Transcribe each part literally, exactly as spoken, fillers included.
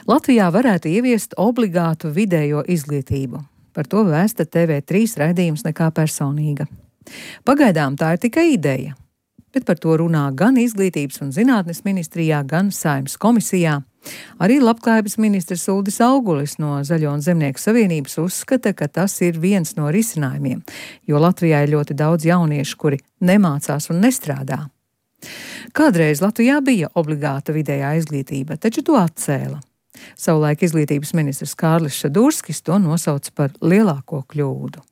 Latvijā varētu ieviest obligātu vidējo izglītību. Par to vēsta T V trīs raidījums Nekā personīga. Pagaidām tā ir tikai ideja, bet par to runā gan Izglītības un zinātnes ministrijā, gan Saeimas komisijā. Arī Labklājības ministrs Uldis Augulis no Zaļo un Zemnieku savienības uzskata, ka tas ir viens no risinājumiem, jo Latvijā ir ļoti daudz jauniešu, kuri nemācās un nestrādā. Kādreiz Latvijā bija obligāta vidējā izglītība, taču to atcēla. Savulaik izglītības ministrs Kārlis Šadurskis to nosauca par lielāko kļūdu.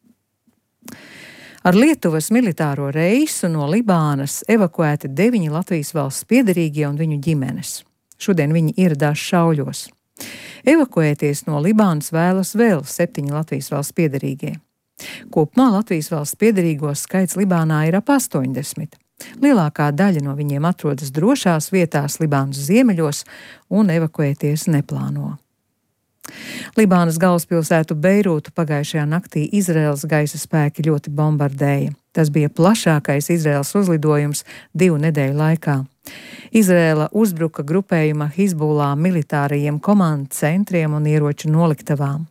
Ar Lietuvas militāro reisu no Libānas evakuēti deviņi Latvijas valsts piederīgie un viņu ģimenes. Šodien viņi ieradās Šauļos. Evakuēties no Libānas vēlas vēl septiņi Latvijas valsts piederīgie. Kopumā Latvijas valsts piederīgo skaits Libānā ir ap astoņdesmit. Lielākā daļa no viņiem atrodas drošās vietās Libānas ziemeļos un evakuēties neplāno. Libānas galvaspilsētu Beirūtu pagājušajā naktī Izraēlas gaisa spēki ļoti bombardēja. Tas bija plašākais Izraēlas uzlidojums divu nedēļu laikā. Izraēla uzbruka grupējuma Hizbullah militārajiem komandu centriem un ieroču noliktavām.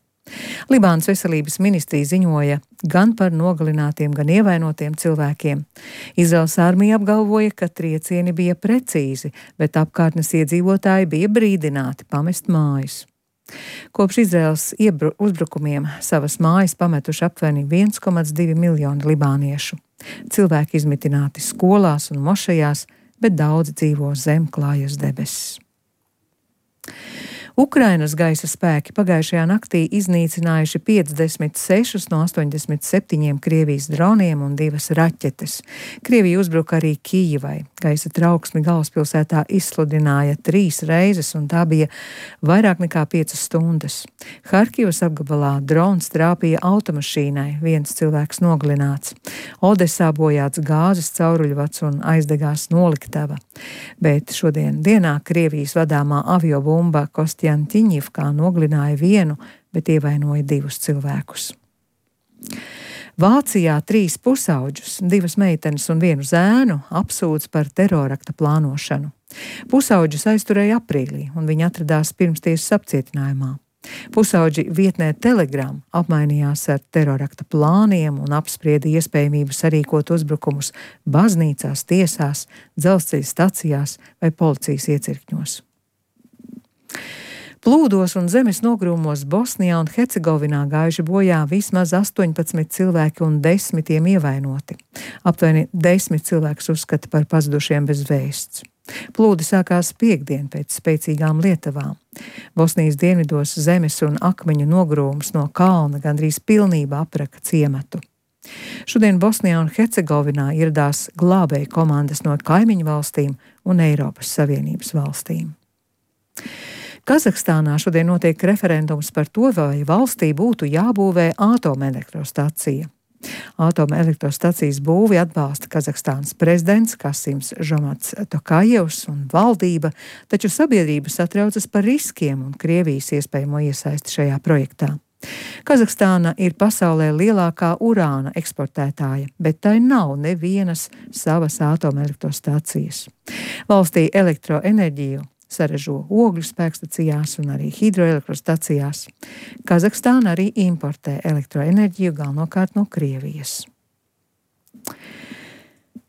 Libānas veselības ministrija ziņoja gan par nogalinātiem, gan ievainotiem cilvēkiem. Izraēlas armija apgalvoja, ka triecieni bija precīzi, bet apkārtnes iedzīvotāji bija brīdināti pamest mājas. Kopš Izraēlas uzbrukumiem savas mājas pametuši aptuveni viens komats divi miljoni libāniešu. Cilvēki izmitināti skolās un mošajās, bet daudzi dzīvo zem klājas debesis. Ukrainas gaisa spēki pagājušajā naktī iznīcinājuši piecdesmit sešus no astoņdesmit septiņiem Krievijas droniem un divas raķetes. Krievija uzbruka arī Kijivai. Gaisa trauksmi galvaspilsētā izsludināja trīs reizes, un tā bija vairāk nekā piecas stundas. Harkivas apgabalā drons trāpīja automašīnai, viens cilvēks nogalināts. Odesā bojāts gāzes cauruļvads un aizdegās noliktava. Bet šodien dienā Krievijas vadāmā aviobumba Kostjantiņivkā nogalināja vienu, bet ievainoja divus cilvēkus. Vācijā trīs pusauģus, divas meitenes un vienu zēnu apsūdz par terorakta plānošanu. Pusauģus aizturēja aprīlī, un viņi atradās pirmstiesas apcietinājumā. Pusauģi vietnē Telegram apmainījās ar terorakta plāniem un apsprieda iespējamību sarīkot uzbrukumus baznīcās, tiesās, dzelzceļa stacijās vai policijas iecirkņos. Plūdos un zemes nogrūmos Bosnijā un Hercegovinā gājuši bojā vismaz astoņpadsmit cilvēki un desmitiem ievainoti. Aptuveni desmit cilvēkus uzskata par pazudušiem bez vēsts. Plūdi sākās piektdien pēc spēcīgām lietavām. Bosnijas dienvidos zemes un akmeņu nogrūms no kalna gandrīz pilnībā apraka ciematu. Šodien Bosnijā un Hercegovinā ieradās glābēju komandas no kaimiņu valstīm un Eiropas Savienības valstīm. Kazahstānā šodien notiek referendums par to, vai valstī būtu jābūvē atomelektrostacija. Atomelektrostacijas būvi atbalsta Kazahstānas prezidents Kasims Žomats Tokajevs un valdība, taču sabiedrība satraucas par riskiem un Krievijas iespējamo iesaisti šajā projektā. Kazahstāna ir pasaulē lielākā urāna eksportētāja, bet tai nav nevienas savas atomelektrostacijas. Valstī elektroenerģiju saražo ogļu spēkstacijās un arī hidroelektrostacijās. Kazahstāna arī importē elektroenerģiju galvenokārt no Krievijas.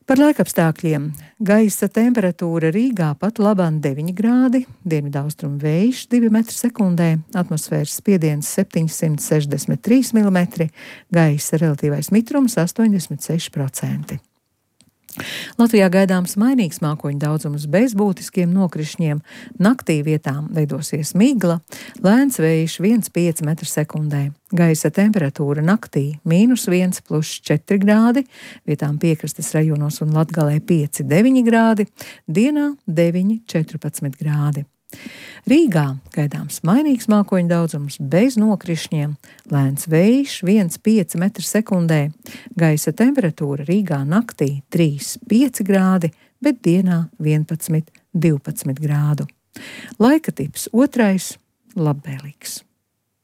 Par laikapstākļiem. Gaisa temperatūra Rīgā pat labāk deviņi grādi, dienvidaustrumu vējš divi metri sekundē, atmosfēras spiediens septiņsimt sešdesmit trīs milimetri, gaisa relatīvais mitrums astoņdesmit seši procenti. Latvijā gaidāms mainīgs mākoņu daudzums bez būtiskiem nokrišņiem, naktī vietām veidosies migla, lēns vējš viens komats pieci metri sekundē. Gaisa temperatūra naktī mīnus viens plus četri grādi, vietām piekrastes rajonos un Latgalē pieci deviņi grādi, dienā deviņi četrpadsmit grādi. Rīgā gaidāms mainīgs mākoņu daudzums bez nokrišņiem, lēns vējš viens komats pieci metri sekundē, gaisa temperatūra Rīgā naktī trīs pieci grādi, bet dienā vienpadsmit divpadsmit grādu. Laika tips otrais - labvēlīgs.